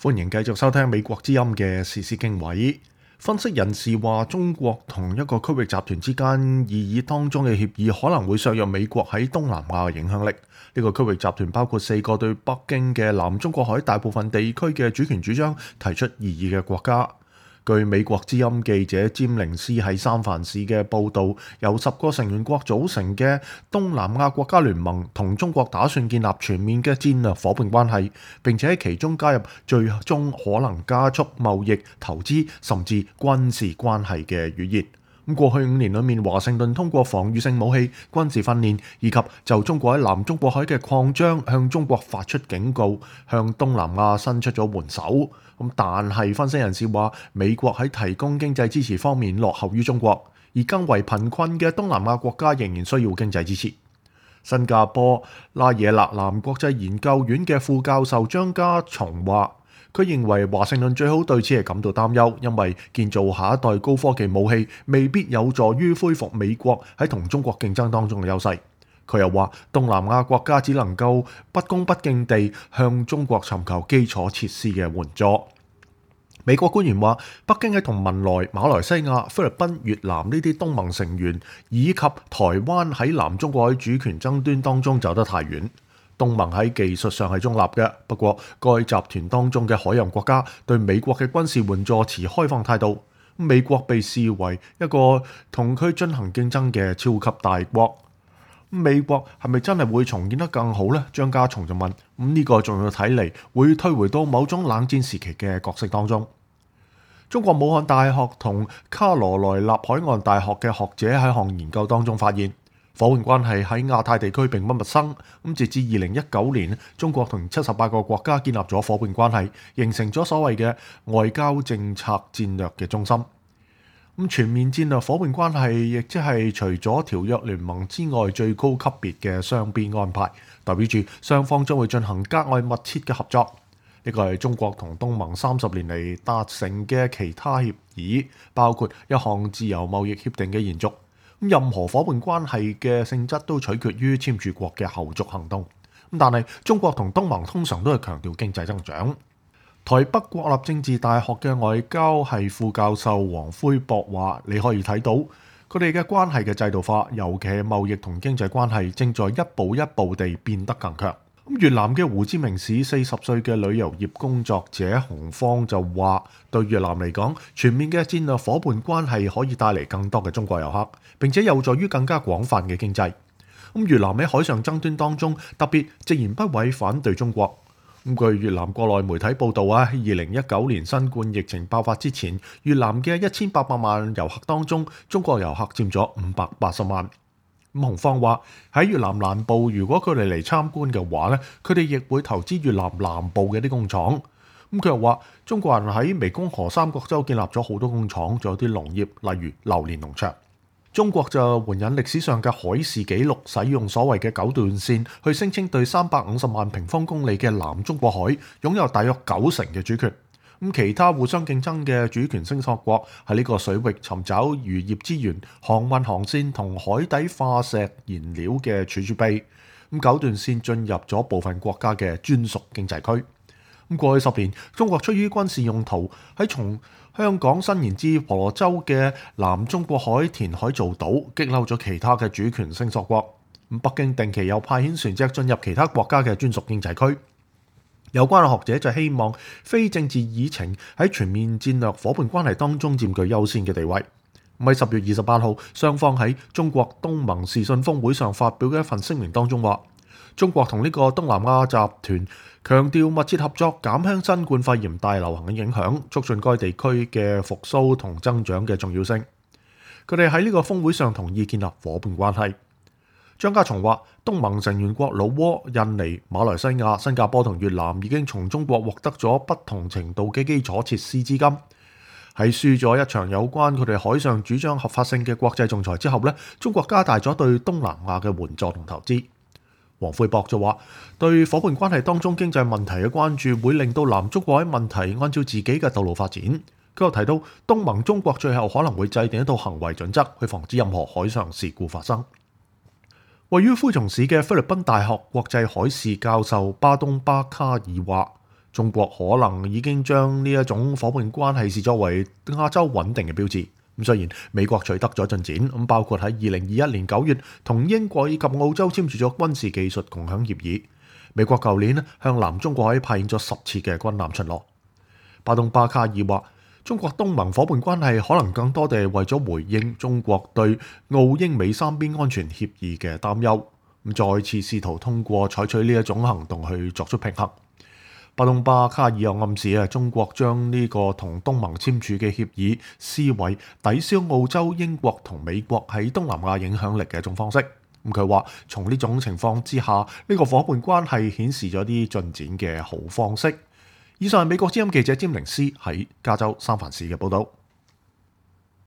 歡迎繼續收聽美國之音嘅時事經緯。分析人士話，中國同一個區域集團之間擬議當中嘅協議可能會削弱美國喺東南亞嘅影響力。呢個區域集團包括4個對北京嘅南中國海大部分地區嘅主權主張提出異議嘅國家。據美國之音記者詹寧斯喺三藩市嘅報導，由10個成員國組成嘅東南亞國家聯盟同中國打算建立全面嘅戰略夥伴關係，並且喺其中加入最終可能加速貿易、投資甚至軍事關係嘅語言。過去5年裏面，華盛頓通過防禦性武器、軍事訓練以及就中國喺南中國海嘅擴張向中國發出警告，向東南亞伸出咗援手。但係分析人士話，美國喺提供經濟支持方面落後於中國，而更為貧困嘅東南亞國家仍然需要經濟支持。新加坡拉惹勒南國際研究院嘅副教授張家松話，佢認為華盛頓最好對此係感到擔憂，因為建造下一代高科技武器未必有助於恢復美國喺同中國競爭當中嘅優勢。佢又話，東南亞國家只能夠不恭不敬地向中國尋求基礎設施嘅援助。美國官員話，北京喺同文萊、馬來西亞、菲律賓、越南呢啲東盟成員以及台灣喺南中國海主權爭端當中走得太遠。東盟喺技術上係中立嘅，不過該集團當中嘅海洋國家對美國嘅軍事援助持開放態度。美國被視為一個同佢進行競爭嘅超級大國。美國係咪真係會重建得更好呢？張家松就問。呢個仲要睇嚟會退回到某種冷戰時期嘅角色當中。中國武漢大學同卡羅來納海岸大學嘅學者喺項研究當中發現，夥伴關係喺亞太地區並不陌生。截至2019年，中國同78個國家建立咗夥伴關係，形成咗所謂嘅外交政策戰略嘅中心。全面戰略夥伴關係亦即係除咗條約聯盟之外最高級別嘅雙邊安排，代表住雙方將會進行格外密切嘅合作。呢個係中國同東盟30年嚟達成嘅其他協議，包括一項自由貿易協定嘅延續。任何夥伴關係嘅性質都取決於簽署國嘅後續行動。但係中國同東盟通常都係強調經濟增長。台北國立政治大學嘅外交系副教授黃魁博話，你可以睇到佢哋嘅關係嘅制度化，尤其係貿易同經濟關係正在一步一步地變得更強。越南嘅胡志明市40歲嘅旅遊業工作者洪方就話，對越南嚟講，全面嘅戰略夥伴關係可以帶嚟更多嘅中國遊客，並且有助於更加廣泛嘅經濟。越南喺海上爭端當中特別直言不諱反對中國。據越南國內媒體報道2019年新冠疫情爆發之前，越南嘅1800萬遊客當中，中國遊客佔咗580萬。洪方話喺越南南部，如果佢哋嚟參觀嘅話咧，佢哋亦會投資越南南部嘅啲工廠。佢又話，中國人喺湄公河三角洲建立咗好多工廠，仲有啲農業，例如榴蓮農場。中國就援引歷史上嘅海事記錄，使用所謂嘅9段線去聲稱對350萬平方公里嘅南中國海擁有大約90%嘅主權。其他互相競爭嘅主權聲索國喺呢個水域尋找漁業資源、航運航線同海底化石燃料嘅儲備。9段線進入咗部分國家嘅專屬經濟區。過去10年，中國出於軍事用途喺從香港伸延至婆羅洲嘅南中國海填海造島，激嬲咗其他嘅主權聲索國。北京定期又派遣船隻進入其他國家嘅專屬經濟區。有關嘅學者就希望非政治議程喺全面戰略夥伴關係當中佔據優先嘅地位。喺10月28號，雙方喺中國東盟視訊峰會上發表嘅一份聲明當中話，中國同呢個東南亞集團強調密切合作，減輕新冠肺炎大流行嘅影響，促進該地區嘅復甦同增長嘅重要性。佢哋喺呢個峰會上同意建立夥伴關係。張家松話，東盟成員國老撾、印尼、馬來西亞、新加坡同越南已經從中國獲得咗不同程度嘅基礎設施資金。喺輸咗一場有關佢哋海上主張合法性嘅國際仲裁之後呢，中國加大咗對東南亞嘅援助同投資。黃魁博就話，對夥伴關係當中經濟問題嘅關注會令到南中國海問題按照自己嘅道路發展。佢又提到，東盟中國最後可能會制定一套行為準則，去防止任何海上事故發生。位於灰松市嘅菲律賓大學國際海事教授巴東巴卡爾話，中國可能已經將呢一種夥伴關係視作為亞洲穩定嘅標誌。咁雖然美國取得咗進展，咁包括喺2021年9月同英國以及澳洲簽署咗軍事技術共享協議。美國舊年向南中國海派遣咗10次嘅軍艦巡邏。巴東巴卡爾話：中國東盟夥伴關係可能更多地為咗回應中國對澳英美三邊安全協議嘅擔憂，咁再次試圖通過採取呢一種行動去作出平衡。巴東巴卡爾又暗示中國將呢個同東盟簽署嘅協議視為抵消澳洲、英國同美國喺東南亞影響力嘅一種方式。佢話從呢種情況之下，呢個夥伴關係顯示咗啲進展嘅好方式。以上係美國之音記者詹寧斯喺加州三藩市嘅報導。